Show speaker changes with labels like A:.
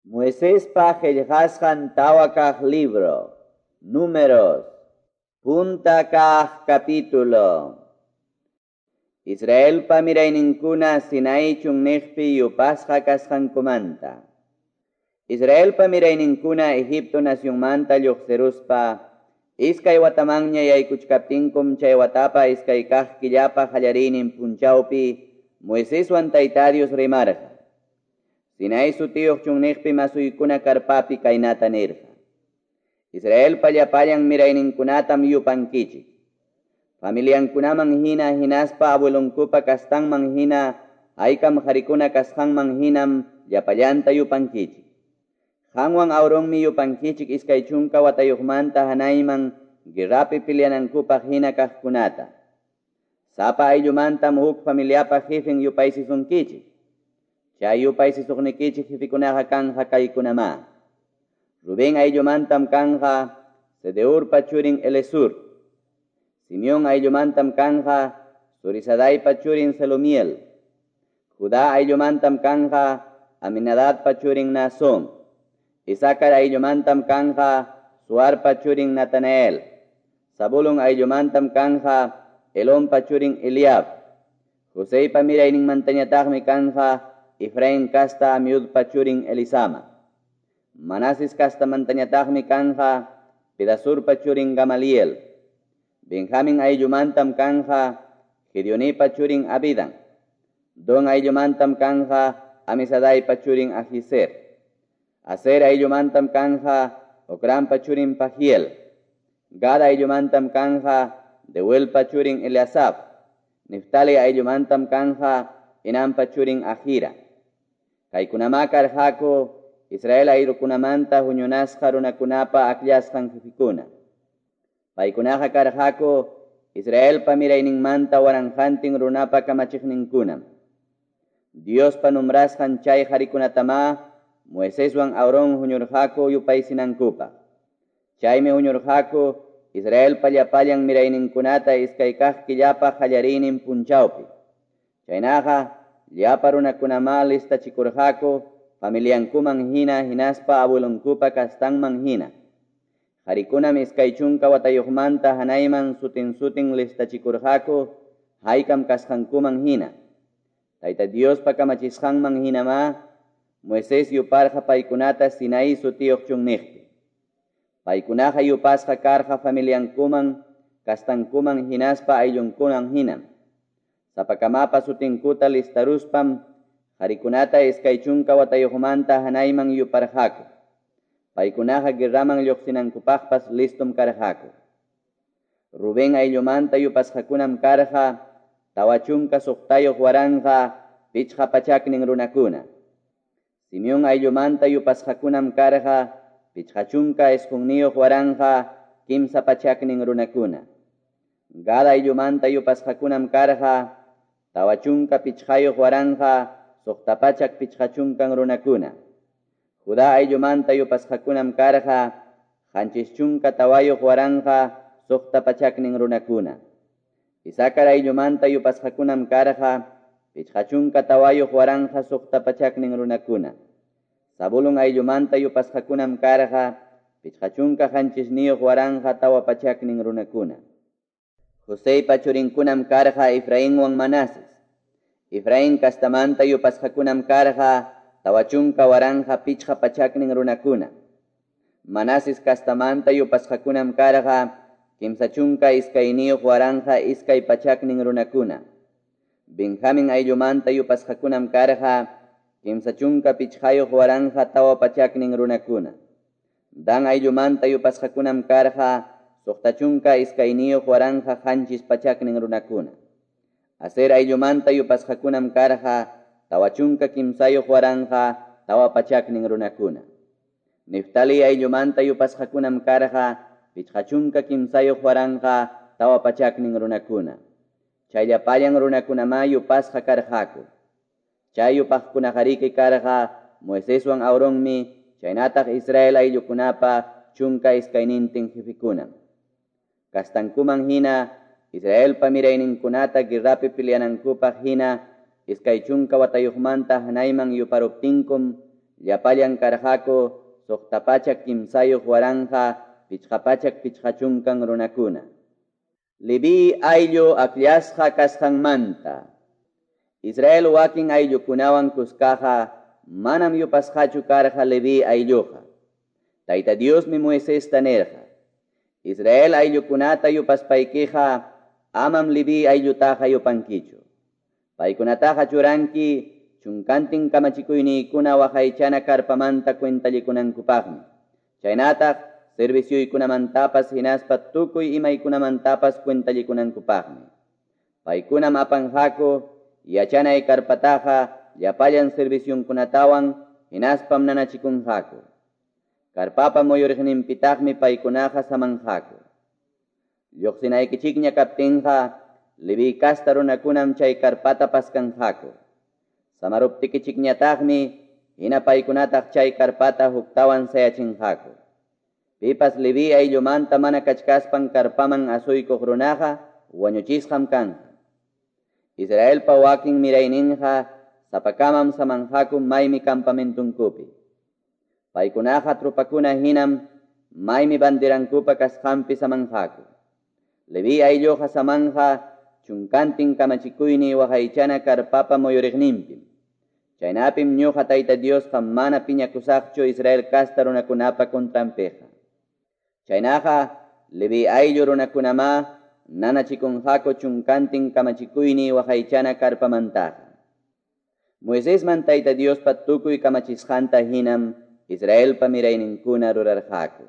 A: Moisespa qillqasqan tawa kaq libro, Números, punta kaq capítulo. Israelpa mirayninkuna Sinaí chunniqpi yupasqa kasqankumanta. Israelpa mirayninkuna Egipto nacionmanta lluqsiruspa, iskay watamanña yaykuchkaptinkum chay watapa iskay kaq killapa qallariynin punchawpi Moiseswan Tayta Dios rimarqa. Sinaí sutiyuq chunniqpi masuykuna karpapi kaynata nirqa. Israelpa llapallan mirayninkunatam yupankichik. Familiankunaman hina hinaspa abuelonkupa kastanman hina haykam qarikuna kasqanman hinam llapallanta yupankichik. Qanwan Aaronmi yupankichik 20 watayuqmanta hanayman guerrapi peleanankupaq hina kaqkunata. Sapa ayllumantam huk familiapa jefen yupaysisunkichik. Chay yupaysisuqnikichik jefekunaqa kanja kaykunamá. Rubén ayllumantam kanja Sedeurpa churin Elesur. Simeón ayllumantam kanja Zurisadaipa churin Selumiel. Judá ayllumantam kanja Aminadabpa churin Naasón. Isacar ayllumantam kanja Suarpa churin Natanael. Zabulón ayllumantam kanja Elonpa churin Eliab. Joseypa mirayninmantañataqmi kanja Efraín kasta Amiudpa churin Elisama. Manases kastamantañataqmi kanja Pedasurpa churin Gamaliel. Benjamín ayllumantam kanja Gedeonipa churin Abidan. Don ayllumantam kanja Amisadaipa churin Ahiser. Aser ayllumantam kanja Ocranpa churin Pagiel. Gad ayllumantam kanja Deuelpa churin Eliasaf. Neftali ayllumantam kanja Enanpa churin Ahira. Kaykunamá karqaku Israel ayllukunamanta huñunasqa runakunapa akllasqan jefekuna. Paykunaqa karqaku Israelpa mirayninmanta waranqantin runapa kamachiqninkunam. Diospa nombrasqan chay qarikunatamá Moiseswan Aarón huñurqaku yupaysinankupaq. Chaymi huñurqaku Israelpa llapallan mirayninkunata iskay kaq killapa qallariynin punchawpi. Chaynaqa llapa runakunamá listachikurqaku familiankuman hina hinaspa abuelonkupa kastanman hina. Qarikunam 20 watayuqmanta hanayman sutin sutin listachikurqaku haykam kasqankuman hina. Tayta Diospa kamachisqanman hinamá Moisés yuparqa paykunata Sinaí sutiyuq chunniqpi. Paykunaqa yupasqa karqa familiankuman, kastankuman hinaspa ayllunkuman hinam. Sapakamapa sutinkuta listaruspam qarikunata 20 watayuqmanta hanayman yuparqaku. Paykunaqa guerraman lluqsinankupaqpas listom karqaku. Rubén ayllumanta yupasqakunam karqa 46,500 runakuna. Simeón ayllumanta yupasqakunam karqa 59,300 runakuna. Gad ayllumanta yupasqakunam karqa 45,650 runakuna. Judá ayllumanta yupasqakunam karqa 74,600 runakuna. Isacar ayllumanta yupasqakunam karqa 54,600 runakuna. Zabulón ayllumanta yupasqakunam karqa 57,400 runakuna. Joseypa churinkunam karqa Efrainwan Manases. Efraín kastamanta yupasqakunam karqa 40,500 runakuna. Manases kastamanta yupasqakunam karqa 32,200 runakuna. Benjamín ayllumanta yupasqakunam karqa 35,400 runakuna. Dan ayllumanta yupasqakunam karqa 62,700 runakuna. Aser ayllumanta yupasqakunam karqa 43,400 runakuna. Neftali ayllumanta yupasqakunam karqa 53,400 runakuna. Chay llapallan runakunamá yupasqa karqaku. Chay yupaqkunaqariki karqa Moiseswan Aaronmi chaynataq Israel ayllukunapa 12 jefekunam. Kastankuman hina Israelpa mirayninkunata guerrapi peleanankupaq hina 20 watayuqmanta hanayman yuparuptinkum llapallan karqaku 603 550 runakuna. Leví ayllu akllasqa kasqanmanta. Israel wakin ayllukunawan kuskaqa manam yupasqachu karqa Leví aylluqa. Tayta Diosmi Moisesta nirqa: Israel ayllukunata yupaspaykiqa amam Leví ayllutaqa yupankichu. Paykunataqa churanki chunkantin kamachikuyniykuna waqaychana karpamanta cuentallikunankupaqmi. Chaynataq servicioykunamantapas hinaspa tukuy imaykunamantapas cuentallikunankupaqmi. Paykunam apanqaku yachanay karpataqa llapallan servicionkunatawan hinaspam nanachikunqaku. Karpapa muyuriqninpitaqmi paykunaqa samanqaku. Lluqsinaykichikña kaptinqa Leví casta runakunam chay karpata paskanqaku. Samaruptikichikñataqmi hina paykunataq chay karpata huktawan sayachinqaku. Pipas Leví ayllumanta mana kachkaspan karpaman asuykuq runaqa wañuchisqam kanqa. Israelpa wakin mirayninqa sapakamam samanqaku maymi campamentunkupi. Paykunaqa tropakuna hinam maymi banderankupa kasqanpi samanqaku. Leví aylluqa samanqa chunkantin kamachikuyniy waqaychana karpapa muyuriqninpim. Chaynapim ñuqa Tayta Diosqa mana piñakusaqchu Israel casta runakunapa contranpiqa. Chaynaqa Leví ayllu runakunamá nanachikunqaku chunkantin kamachikuyniy waqaychana karpamantaqa. Moisesman Tayta Diospa tukuy kamachisqanta hinam Israelpa mirayninkuna rurarqaku.